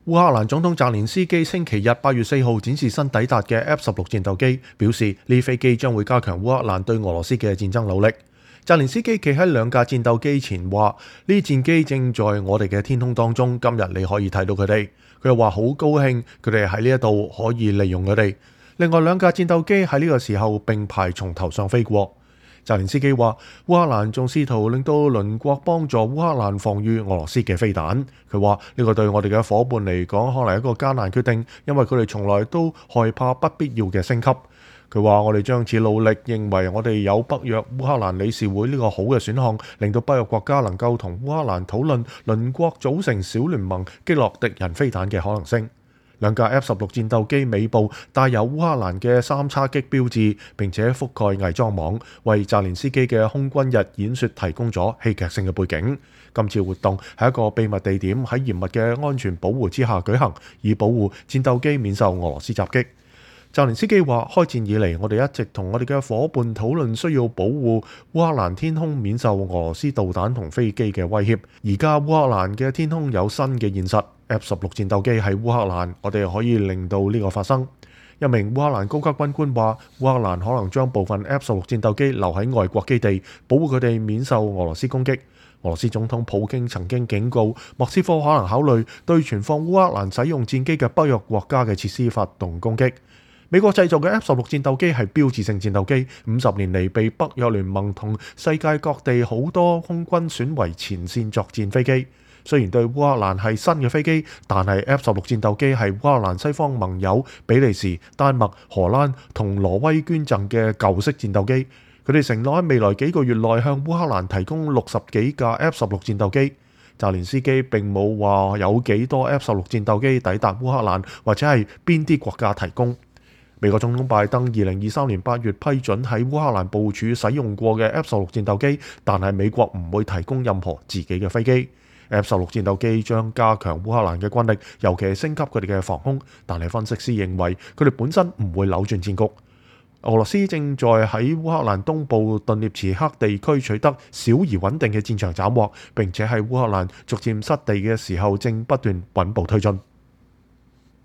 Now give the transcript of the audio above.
烏克蘭總統澤連斯基星期日8月4號展示新抵達嘅 F-16戰鬥機，表示呢飛機將會加強烏克蘭對俄羅斯嘅戰爭努力。澤連斯基企喺兩架戰鬥機前話：呢戰機正在我哋嘅天空當中，今日你可以睇到佢哋。佢又話好高興佢哋喺呢一度可以利用佢哋。另外兩架戰鬥機喺呢個時候並排從頭上飛過。澤連斯基話：烏克蘭仲試圖令到鄰國幫助烏克蘭防禦俄羅斯嘅飛彈。佢話呢個對我哋嘅伙伴嚟講可能係一個艱難決定，因為佢哋從來都害怕不必要嘅升級。佢話：我哋將此努力，認為我哋有北約烏克蘭理事會呢個好嘅選項，令到北約國家能夠同烏克蘭討論鄰國組成小聯盟擊落敵人飛彈嘅可能性。兩架 F-16戰鬥機尾部帶有烏克蘭嘅3叉戟標誌，並且覆蓋偽裝網，為澤連斯基嘅空軍日演說提供咗戲劇性嘅背景。今次活動係一個秘密地點，喺嚴密嘅安全保護之下舉行，以保護戰鬥機免受俄羅斯襲擊。澤連斯基話：開戰以嚟，我哋一直同我哋嘅伙伴討論需要保護烏克蘭天空免受俄羅斯導彈同飛機嘅威脅。而家烏克蘭嘅天空有新嘅現實。F-16戰鬥機喺烏克蘭，我哋可以令到呢個發生。一名烏克蘭高級軍官話：烏克蘭可能將部分 F-16戰鬥機留喺外國基地，保護佢哋免受俄羅斯攻擊。俄羅斯總統普京曾經警告莫斯科可能考慮對存放烏克蘭使用戰機嘅北約國家嘅設施發動攻擊。美國製造嘅 F-16戰鬥機係標誌性戰鬥機，50年嚟被北約聯盟同世界各地好多空軍選為前線作戰飛機。雖然對烏克蘭係新嘅飛機，但係 F-16戰鬥機係烏克蘭西方盟友比利時、丹麥、荷蘭同挪威捐贈嘅舊式戰鬥機。佢哋承諾喺未來幾個月內向烏克蘭提供60幾架 F-16戰鬥機。澤連斯基並冇話有幾多 F-16戰鬥機抵達烏克蘭，或者係邊啲國家提供。美國總統拜登2023年8月批准喺烏克蘭部署使用過嘅 F-16戰鬥機，但係美國唔會提供任何自己嘅飛機。F-16戰鬥機將加強烏克蘭嘅軍力，尤其係升級佢哋嘅防空。但係分析師認為佢哋本身唔會扭轉戰局。俄羅斯正在喺烏克蘭東部頓涅茨克地區取得小而穩定嘅戰場斬獲，並且喺烏克蘭逐漸失地嘅時候，正不斷穩步推進。